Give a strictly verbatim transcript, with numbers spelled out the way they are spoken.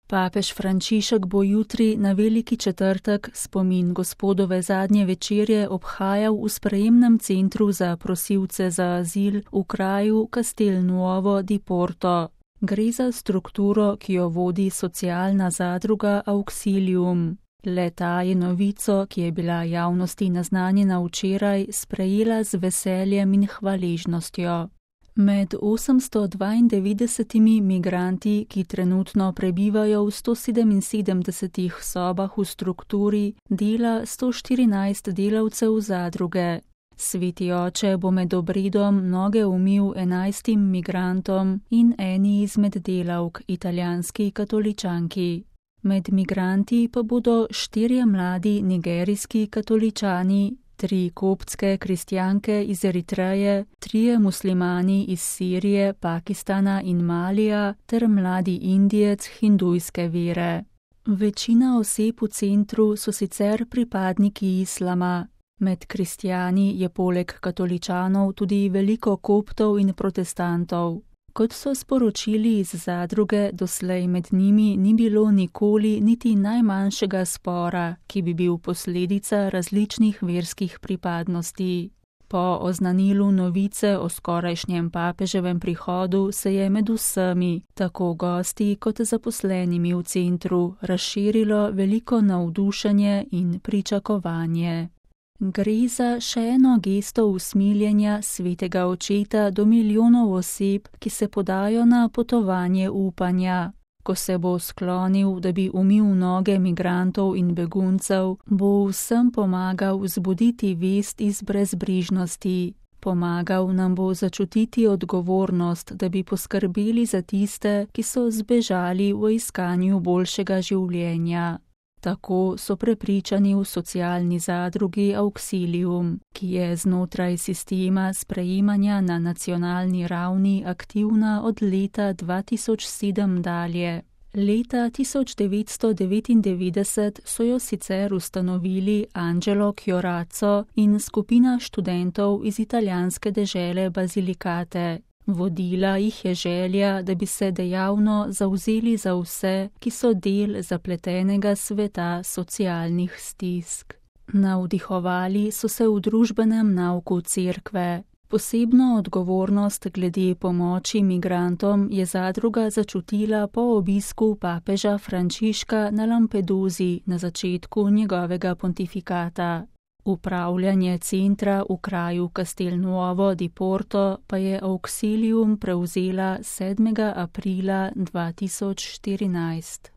Papež Frančišek bo jutri na veliki četrtek spomin Gospodove zadnje večerje obhajal v sprejemnem centru za prosilce za azil v kraju Castelnuovo di Porto. Gre za strukturo, ki jo vodi socialna zadruga Auxilium. Le-ta je novico, ki je bila javnosti naznanjena včeraj, sprejela z veseljem in hvaležnostjo. Med osemsto dvaindevetdesetimi migranti, ki trenutno prebivajo v sto sedeminsedemdesetih sobah v strukturi, dela sto štirinajst delavcev zadruge. Sveti oče bo med obredom noge umil enajstim migrantom in eni izmed delavk, italijanski katoličanki. Med migranti pa bodo štirje mladi nigerijski katoličani, tri koptske kristjanke iz Eritreje, trije muslimani iz Sirije, Pakistana in Malija ter mladi Indijec hindujske vere. Večina oseb v centru so sicer pripadniki islama. Med kristjani je poleg katoličanov tudi veliko koptov in protestantov. Kot so sporočili iz zadruge, doslej med njimi ni bilo nikoli niti najmanjšega spora, ki bi bil posledica različnih verskih pripadnosti. Po oznanilu novice o skorajšnjem papeževem prihodu se je med vsemi, tako gosti kot zaposlenimi v centru, razširilo veliko navdušenje in pričakovanje. Gre za še eno gesto usmiljenja svetega očeta do milijonov oseb, ki se podajo na potovanje upanja. Ko se bo sklonil, da bi umil noge migrantov in beguncev, bo vsem pomagal vzbuditi vest iz brezbrižnosti. Pomagal nam bo začutiti odgovornost, da bi poskrbeli za tiste, ki so zbežali v iskanju boljšega življenja. Tako so prepričani v socialni zadrugi Auxilium, ki je znotraj sistema sprejemanja na nacionalni ravni aktivna od leta dva tisoč sedem dalje. Leta tisoč devetsto devetindevetdeset so jo sicer ustanovili Angelo Chiorazzo in skupina študentov iz italijanske dežele Basilicate. Vodila jih je želja, da bi se dejavno zavzeli za vse, ki so del zapletenega sveta socialnih stisk. Navdihovali so se v družbenem nauku cerkve. Posebno odgovornost glede pomoči migrantom je zadruga začutila po obisku papeža Frančiška na Lampedusi na začetku njegovega pontifikata. Upravljanje centra v kraju Castelnuovo di Porto pa je Auxilium prevzela sedmega aprila dva tisoč štirinajst.